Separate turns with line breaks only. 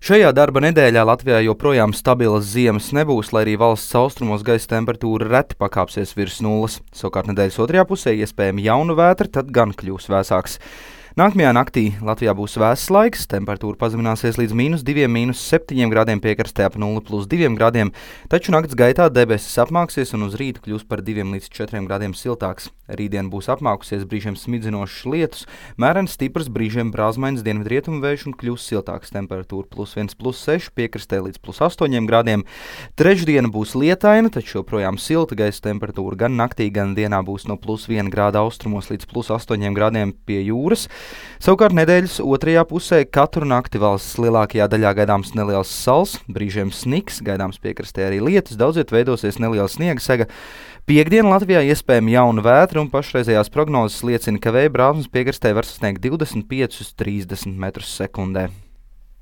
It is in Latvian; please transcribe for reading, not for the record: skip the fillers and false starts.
Šajā darba nedēļā Latvijā joprojām stabilas ziemas nebūs, lai arī valsts austrumos gaisa temperatūra reti pakāpsies virs nulles. Savukārt nedēļas otrajā pusē iespējama jauna vētra, tad gan kļūs vēsāks. Nākamajā naktī Latvijā būs vēss laiks, temperatūra pazemināsies līdz -2, -7 grādiem piekrastē ap 0,2 grādiem, taču nakts gaitā debesis apmāksies un uz rītu kļūs par 2 līdz 4 grādiem siltāks. Rītdien būs apmākusies brīžiem smidzinošs lietus, mērens stiprs brīžiem brāzmains dienvidrietumu vējš un kļūs siltāks, temperatūra +1, +6, piekrastē līdz +8 grādiem. Trešdiena būs lietaina, taču joprojām silta gaisa temperatūra gan naktī, gan dienā būs no +1 grāda austrumos līdz +8 grādiem pie jūras. Savukārt nedēļas otrajā pusē katru nakti valsts lielākajā daļā gaidāms neliels sals, brīžiem sniks, gaidāms piekrastē arī lietus, daudziet veidosies neliela sniega sega. Piektdiena Latvijā iespējama jauna vētra un pašreizējās prognozes liecina, ka vēja brāzmas piekrastē var sasniegt 25–30 m/sekundē.